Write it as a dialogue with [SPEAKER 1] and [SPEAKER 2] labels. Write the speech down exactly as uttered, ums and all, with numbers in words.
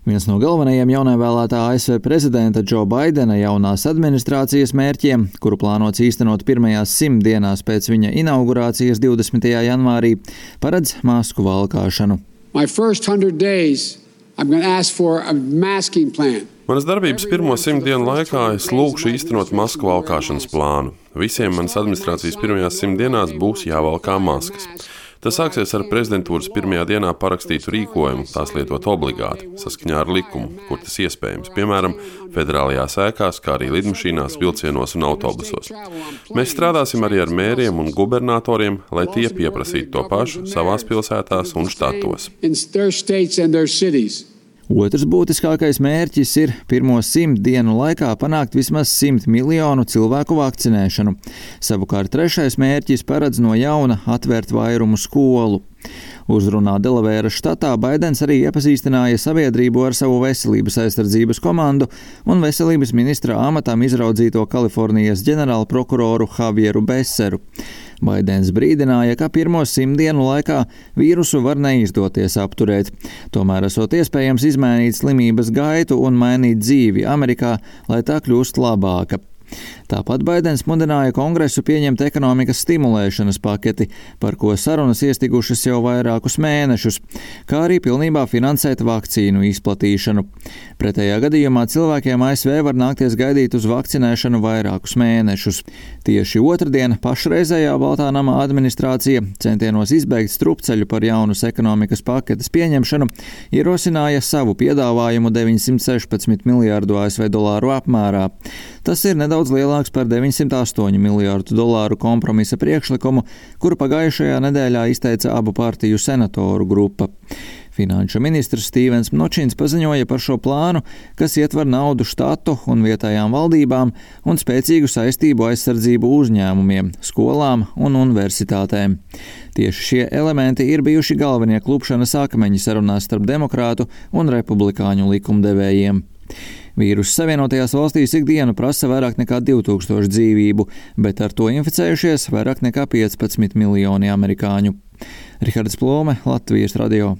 [SPEAKER 1] Viens no galvenajiem jaunievēlētā A S V prezidenta Džo Baidena jaunās administrācijas mērķiem, kuru plānots īstenot pirmajās simt dienās pēc viņa inaugurācijas divdesmitajā janvārī, paredz masku valkāšanu.
[SPEAKER 2] Manas darbības pirmo simt dienu laikā es lūgšu īstenot masku valkāšanas plānu. Visiem manas administrācijas pirmajās simt dienās būs jāvalkā maskas. Tas sāksies ar prezidentūras pirmajā dienā parakstītu rīkojumu, tās lietot obligāti, saskaņā ar likumu, kur tas iespējams, piemēram, federālajās ēkās, kā arī lidmašīnās, vilcienos un autobusos. Mēs strādāsim arī ar mēriem un gubernatoriem, lai tie pieprasītu to pašu savās pilsētās un štatos.
[SPEAKER 1] Otrs būtiskākais mērķis ir pirmo simt dienu laikā panākt vismaz simt miljonu cilvēku vakcinēšanu. Savukārt trešais mērķis paredz no jauna atvērt vairumu skolu. Uzrunā Delavēras štatā Baidens arī iepazīstināja sabiedrību ar savu veselības aizsardzības komandu un veselības ministra amatam izraudzīto Kalifornijas ģenerālprokuroru Javieru Beseru. Baidens brīdināja, ka pirmo simt dienu laikā vīrusu var neizdoties apturēt. Tomēr esot iespējams izmainīt slimības gaitu un mainīt dzīvi Amerikā, lai tā kļūst labāka. Tāpat Baidens mudināja Kongresu pieņemt ekonomikas stimulēšanas paketi, par ko sarunas iestigušas jau vairākus mēnešus, kā arī pilnībā finansēt vakcīnu izplatīšanu. Pretējā gadījumā cilvēkiem A S V var nākties gaidīt uz vakcinēšanu vairākus mēnešus. Tieši otrdien pašreizējā Baltā nama administrācija centienos izbeigt strupceļu par jaunas ekonomikas paketes pieņemšanu ierosināja savu piedāvājumu deviņsimt sešpadsmit miljārdu A S V dolāru apmērā. Tas ir nedaudz lielāks par deviņsimt astoņu miljārdu dolāru kompromisa priekšlikumu, kuru pagājušajā nedēļā izteica abu partiju senatoru grupa. Finanšu ministrs Stīvens Mnočins paziņoja par šo plānu, kas ietver naudu štatu un vietējām valdībām un spēcīgu saistību aizsardzību uzņēmumiem, skolām un universitātēm. Tieši šie elementi ir bijuši galvenie klupšanas akmeņi sarunās starp demokrātu un republikāņu likumdevējiem. Vīruss Savienotajās valstīs ikdienu prasa vairāk nekā divi tūkstoši dzīvību, bet ar to inficējušies vairāk nekā piecpadsmit miljoni amerikāņu. Rihards Plome, Latvijas radio.